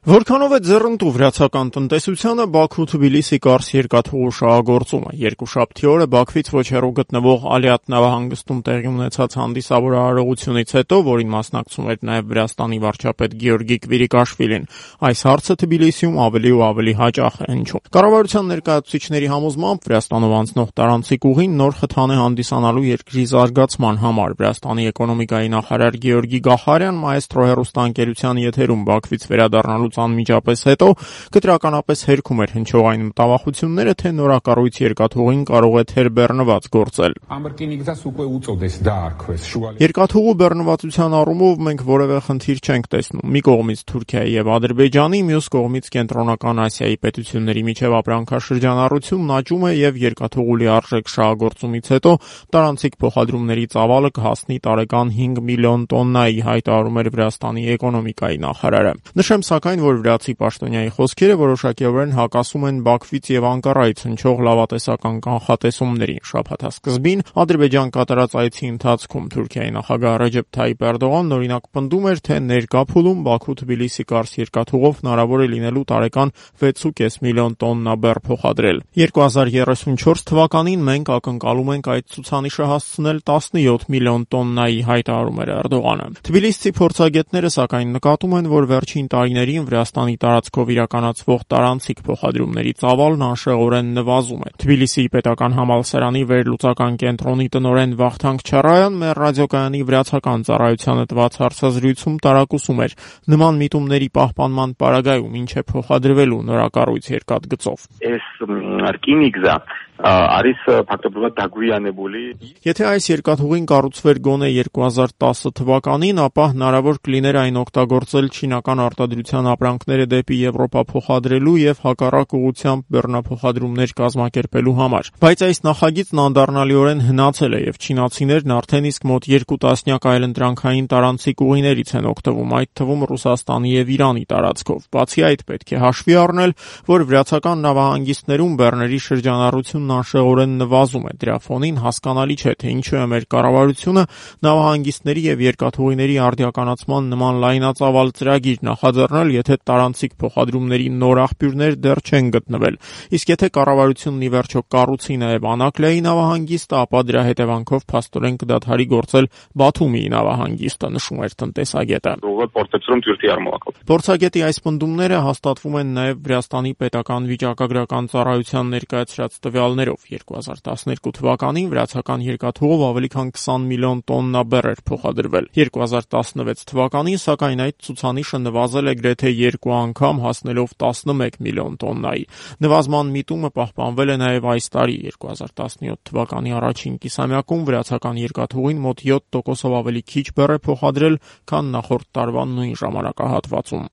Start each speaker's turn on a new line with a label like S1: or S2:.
S1: Որքանով է ձեռնտու վրացական տնտեսությանը Բաքու-Թբիլիսի կարս երկաթուղու շահագործումը։ Երկուշաբթի օրը Բաքվից ոչ հեռու գտնվող Ալիատ նավահանգստում տեղի ունեցած հանդիսավոր արարողությունից հետո, որին մասնակցում էր նաև Վրաստանի վարչապետ Գեորգի Կվիրիկաշվիլին, այս հարցը Թբիլիսիում ավելի ու ավելի հաճախ է հնչում։ Կառավարության ներկայացուցիչների համոզմամբ Վրաստանով անցնող տարանցիկ ուղին նոր խթան է հանդիսանալու երկրի զարգացման համար։ Վրաստանի էկոնոմիկայի նախարար Գեորգի Գախարյան մայեստրո հեռուստաընկերության եթերում Բաքվից վերադառնալուց անմիջապես հետո կտրականապես հերքում էր հնչող այն մտավախությունները, թե նորակառույց երկաթուղին կարող է թերբեռնված գործել։ Երկաթուղու բեռնվածության առումով մենք որևէ խնդիր չենք տեսնում։ Մի կողմից Թուրքիայի եւ Ադրբեջանի, մյուս կողմից Կենտրոնական Ասիայի պետությունների միջև ապրանքաշրջանառությունն աճում է եւ երկաթուղու լիարժեք շահագործումից հետո տարանցիկ փոխադրումների ծավալը կհասնի տարեկան 5 միլիոն տոննայի, հայտարարում էր Վրաստանի էկոնոմիկայի նախարարը։ Նշեմ սակայն, որ վրացի պաշտոնյայի խոսքերը որոշակիորեն հակասում են Բաքվից եւ Անկարայից հնչող լավատեսական կանխատեսումներին։ Շաբաթասկզբին Ադրբեջան կատարած այցի ընթացքում Թուրքիայի նախագահ Ռեջեփ Թայիփ Էրդողանն օրինակ պնդում էր, թե ներկա փուլում Բաքու-Թբիլիսի կարս երկաթուղով հնարավոր է լինելու տարեկան 6.5 միլիոն տոննա բեռ փոխադրել։ 2034 թվականին մենք ակնկալում ենք այդ ցուցանիշը հասցնել 17 միլիոն տոննայի, հայտարարում էր Էրդողանը։ Թբիլիսցի փորձագետները սակայն նկատում են, որ վերջին տարիներին Վրաստանի տարածքով իրականացվող տարանցիկ փոխադրումների ծավալն անշեղորեն նվազում է։ Թբիլիսիի պետական համալսարանի վերլուծական կենտրոնի տնօրեն Վախթանգ Չարայան մեր ռադիոկայանի վրացական ծառայությանը տված հարցազրույցում տարակուսում էր նման միտումների պահպանման պարագայում ինչ է փոխադրվելու նորակառույց երկաթգծով։ Եթե այս երկաթուղին կառուցվեր գոնե 2010 թվականին, ապա հնարավոր կլիներ այն օգտագործել չինական արտադրության ապրանքները դեպի Եվրոպա փոխադրելու եւ հակառակ ուղղությամբ բեռնափոխադրումներ կազմակերպելու համար։ Բայց այս նախագիծն անդառնալիորեն հնացել է եւ չինացիներն արդեն իսկ մոտ 2 տասնյակ այլընտրանքային տարանցիկ ուղիներից են օգտվում, այդ թվում Ռուսաստանի եւ Իրանի տարածքով։ Բացի այդ, պետք է հաշվի առնել, որ վրացական նավահանգիստներում բեռների շրջանառությունն անշեղորեն նվազում է։ Դրա ֆոնին հասկանալի չէ, թե ինչու է մեր կառավարությունը նավահանգիստների եւ երկաթուղիների արդիականացման նման լայնածավալ ծրագիր նախաձեռնել, եթե տարանցիկ փոխադրումների նոր աղբյուրներ դեռ չեն գտնվել։ Իսկ եթե կառավարությունն ի վերջո կառուցի նաև Անակլիայի նավահանգիստը, ապա դրա հետևանքով փաստորեն կդադարի գործել Բաթումիի նավահանգիստը, նշում էր տնտեսագետը։ Փորձագետի այս պնդումները հաստատվում են նաև Վրաստանի պետական վիճակագրական ծառայության ներկայացրած տվյալներով։ 2012 թվականին վրացական երկաթուղով ավելի քան 20 միլիոն տոննա բեռ էր փոխադրվել։ 2016 թվականին, սակայն այդ ցուցանիշը նվազել է գրեթե 2 անգամ, հասնելով 11 միլիոն տոննայի։ Նվազման միտումը պահպանվել է նաև այս տարի։ 2017 թվականի առաջին կիսամյակում վրացական երկաթուղին մոտ 7%-ով ավելի քիչ բեռ է փոխադրել, քան նախորդ տարվա նույն ժամանակահատվածում։